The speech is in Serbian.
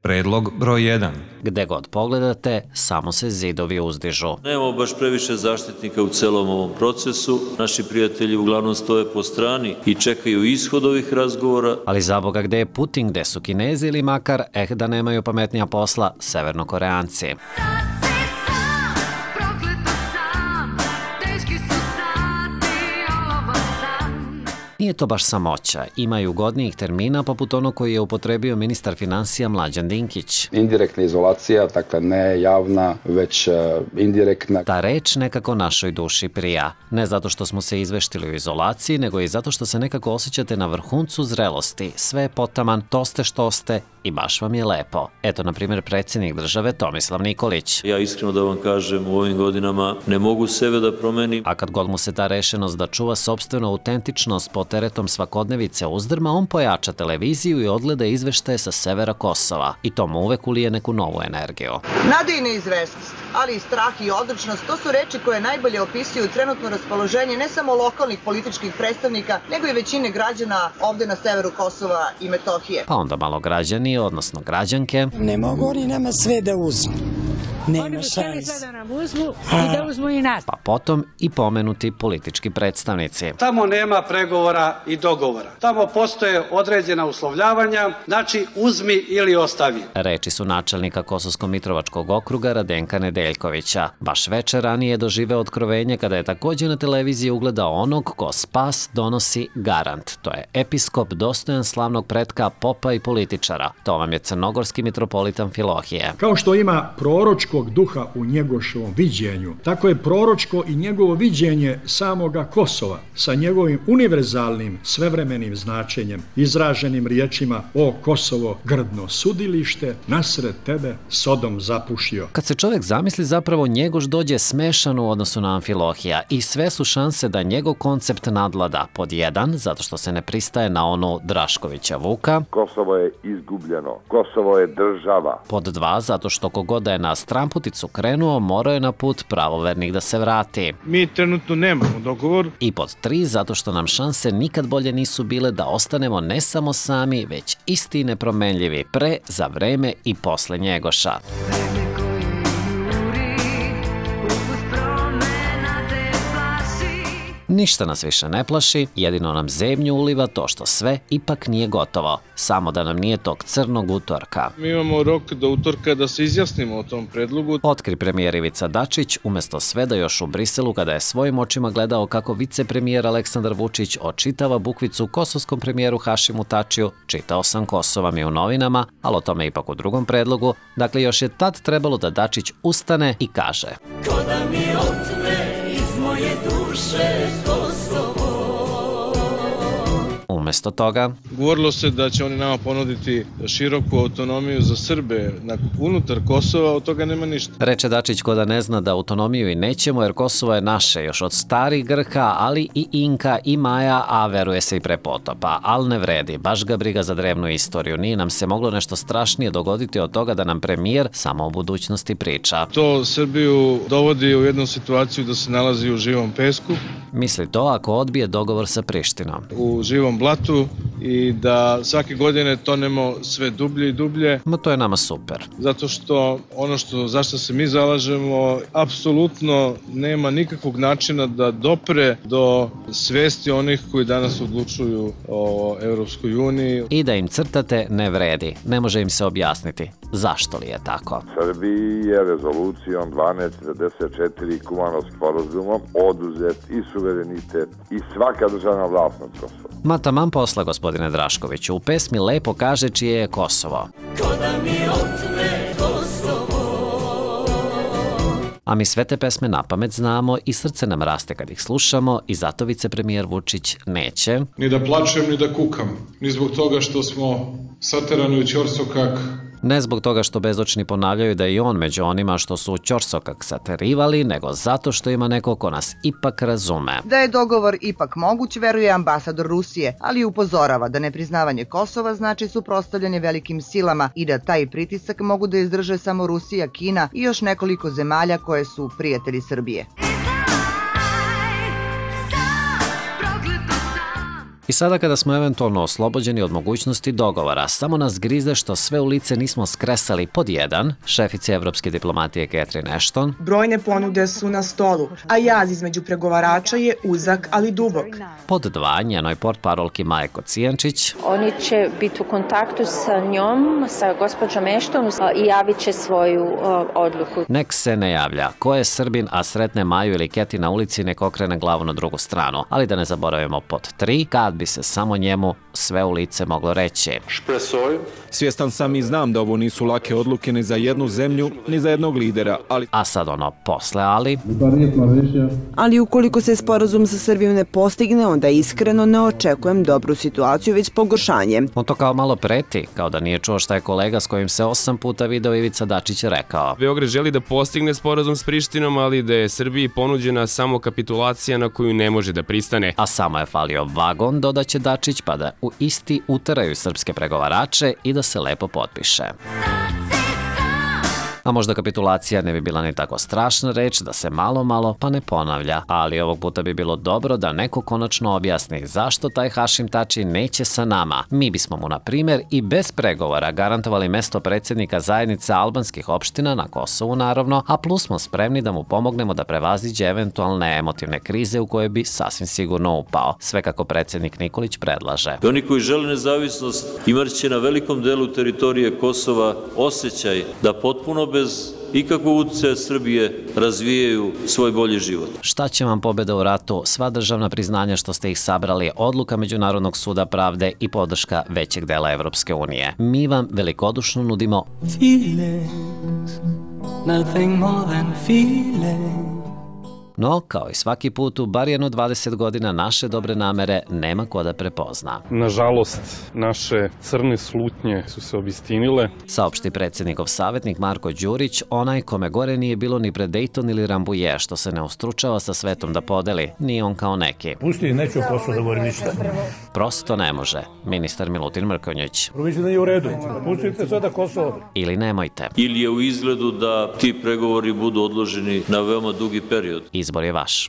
Predlog broj 1. Gde god pogledate, samo se zidovi uzdižu. Nemamo baš previše zaštitnika u celom ovom procesu. Naši prijatelji uglavnom stoje po strani i čekaju ishod ovih razgovora. Ali za Boga, gde je Putin, gde su Kinezi ili makar, da nemaju pametnija posla, Severnokoreanci. Nije to baš samoća, ima i ugodnijih termina poput onog koji je upotrebio ministar finansija Mlađan Dinkić. Indirektna izolacija, dakle ne javna, već indirektna. Ta reč nekako našoj duši prija. Ne zato što smo se izveštili u izolaciji, nego i zato što se nekako osjećate na vrhuncu zrelosti. Sve je potaman, to ste što ste i baš vam je lepo. Eto, na primjer, predsjednik države Tomislav Nikolić. Ja iskreno da vam kažem, u ovim godinama ne mogu sebe da promenim. A kad god mu se ta rešenost da čuva sopstvenu autentičnost pod teretom svakodnevice uzdrma, on pojača televiziju i odgleda izveštaje sa severa Kosova. I to mu uvek ulije neku novu energiju. Nada i neizvesnost, ali i strah i odlučnost, to su reči koje najbolje opisuju trenutno raspoloženje ne samo lokalnih političkih predstavnika, nego i većine građana ovde na severu Kosova i Metohije. Pa onda malo građani, odnosno građanke. Ne mogu oni nama sve da uzmu. Nema šanse. Da nam uzmu i da uzmu i nas. Pa potom i pomenuti politički predstavnici. Tamo nema pregovora i dogovora. Tamo postoje određena uslovljavanja, znači uzmi ili ostavi. Reči su načelnika Kosovsko-Mitrovačkog okruga Radenka Nedeljkovića. Baš večer ranije je doživeo otkrovenje kada je također na televiziji ugledao onog ko spas donosi garant. To je episkop dostojan slavnog pretka, popa i političara. To vam je crnogorski mitropolitan Filohije. Kao što ima proročkog duha u Njegošovom viđenju, tako je proročko i njegovo viđenje samoga Kosova sa njegovim univerzalnim svevremenim značenjem, izraženim riječima: o Kosovo, grdno sudilište, nasred tebe Sodom zapušio. Kad se čovjek zamisli, zapravo Njegoš dođe smešan u odnosu na Amfilohija i sve su šanse da njegov koncept nadvlada. Pod 1, zato što se ne pristaje na onu Draškovića Vuka. Kosovo je izgubljeno. Kosovo je država. Pod 2, zato što kogoda je na stramputicu krenuo, morao je na put pravovernih da se vrati. Mi trenutno nemamo dogovor. I pod 3, zato što nam šanse nikad bolje nisu bile da ostanemo ne samo sami, već isti nepromenljivi pre, za vreme i posle Njegoša. Ništa nas više ne plaši, jedino nam zebnju uliva to što sve ipak nije gotovo. Samo da nam nije tog crnog utorka. Mi imamo rok do utorka da se izjasnimo o tom predlogu. Otkri premijer Ivica Dačić, umjesto sve da još u Briselu, kada je svojim očima gledao kako vicepremijer Aleksandar Vučić očitava bukvicu kosovskom premijeru Hašimu Tačiju, čitao sam Kosova mi u novinama, ali o tome ipak u drugom predlogu. Dakle, još je tad trebalo da Dačić ustane i kaže: ko da mi otme iz moje duše Kosovo. Umjesto toga, govorilo se da će oni nama ponuditi široku autonomiju za Srbe unutar Kosova, od toga nema ništa. Reče Dačić ko da ne zna da autonomiju i nećemo, jer Kosovo je naše još od starih Grka, ali i Inka i Maja, a veruje se i pre potopa. Ali ne vredi, baš ga briga za drevnu istoriju. Nije nam se moglo nešto strašnije dogoditi od toga da nam premijer samo o budućnosti priča. To Srbiju dovodi u jednu situaciju da se nalazi u živom pesku. Misli to ako odbije dogovor sa Prištinom. U živom blatu i da svake godine tonemo sve dublje i dublje. Ma to je nama super. Zato što ono zašto se mi zalažemo apsolutno nema nikakvog načina da dopre do svesti onih koji danas odlučuju o Europskoj uniji. I da im crtate ne vredi. Ne može im se objasniti. Zašto li je tako? Srbiji je rezolucijom 1244 Kumanovskim sporazumom oduzet i suverenitet i svaka državna vlast nad Kosovom. Ma taman posla, gospodine Draškoviću. U pesmi lepo kaže čije je Kosovo. Ko da mi otme Kosovo. A mi sve te pesme napamet znamo i srce nam raste kad ih slušamo i zato vicepremijer Vučić neće ni da plačem, ni da kukam, ni zbog toga što smo saterani u ćorsokak. Ne zbog toga što bezočni ponavljaju da je i on među onima što su ćorsokak saterivali, nego zato što ima neko ko nas ipak razume. Da je dogovor ipak moguć, veruje ambasador Rusije, ali upozorava da nepriznavanje Kosova znači suprotstavljanje velikim silama i da taj pritisak mogu da izdrže samo Rusija, Kina i još nekoliko zemalja koje su prijatelji Srbije. I sada kada smo eventualno oslobođeni od mogućnosti dogovora, samo nas grize što sve u lice nismo skresali pod jedan, šefice evropske diplomatije Catherine Ashton. Brojne ponude su na stolu, a jaz između pregovarača je uzak, ali dubok. Pod dva, njenoj portparolki Maje Kocijančić. Oni će biti u kontaktu sa njom, sa gospođom Ashton i javit će svoju odluku. Nek se ne javlja. Ko je Srbin, a sretne Maju ili Keti na ulici, nek okrene glavu na drugu stranu. Ali da ne zaboravimo pod tri, kad bi se samo njemu sve u lice moglo reći. Svjestan sam i znam da ovo nisu lake odluke ni za jednu zemlju, ni za jednog lidera, ali... A sad ono posle, ali... Ali ukoliko se sporazum sa Srbijom ne postigne, onda iskreno ne očekujem dobru situaciju, već pogoršanje. On to kao malo preti, kao da nije čuo šta je kolega s kojim se 8 puta video Ivica Dačić rekao. Beograd želi da postigne sporazum s Prištinom, ali da je Srbiji ponuđena samo kapitulacija na koju ne može da pristane. A samo je falio vagon, dodaće Dačić, pa da u isti uteraju srpske pregovarače i da se lepo potpiše. A možda kapitulacija ne bi bila ni tako strašna reč da se malo pa ne ponavlja, ali ovog puta bi bilo dobro da neko konačno objasni zašto taj Hašim Tači neće sa nama. Mi bismo mu, na primjer, i bez pregovora garantovali mesto predsjednika zajednice albanskih opština na Kosovu, naravno, a plus smo spremni da mu pomognemo da prevaziđe eventualne emotivne krize u koje bi sasvim sigurno upao. Sve kako predsjednik Nikolić predlaže. Oni koji žele nezavisnost imat će na velikom delu teritorije Kosova osjećaj da potpuno bez ikakvog uticaja Srbije razvijaju svoj bolji život. Šta će vam pobjeda u ratu, sva državna priznanja što ste ih sabrali, odluka Međunarodnog suda pravde i podrška većeg dela Evropske unije. Mi vam velikodušno nudimo Feelings, nothing more than feelings. No, kao i svaki put, u bar jedno 20 godina naše dobre namere nema ko da prepozna. Nažalost, naše crne slutnje su se obistinile. Saopšti predsjednikov savjetnik Marko Đurić, onaj kome gore nije bilo ni pred Dejton ili Rambuje, što se ne ustručava sa svetom da podeli, ni on kao neki. Pusti, neću posao da govorim ništa. Prosto ne može, ministar Milutin Mrkonjić. Proviđu da je u redu, pustite sada Kosovo. Ili nemojte. Ili je u izgledu da ti pregovori budu odloženi na veoma dugi period. Izbor je vaš.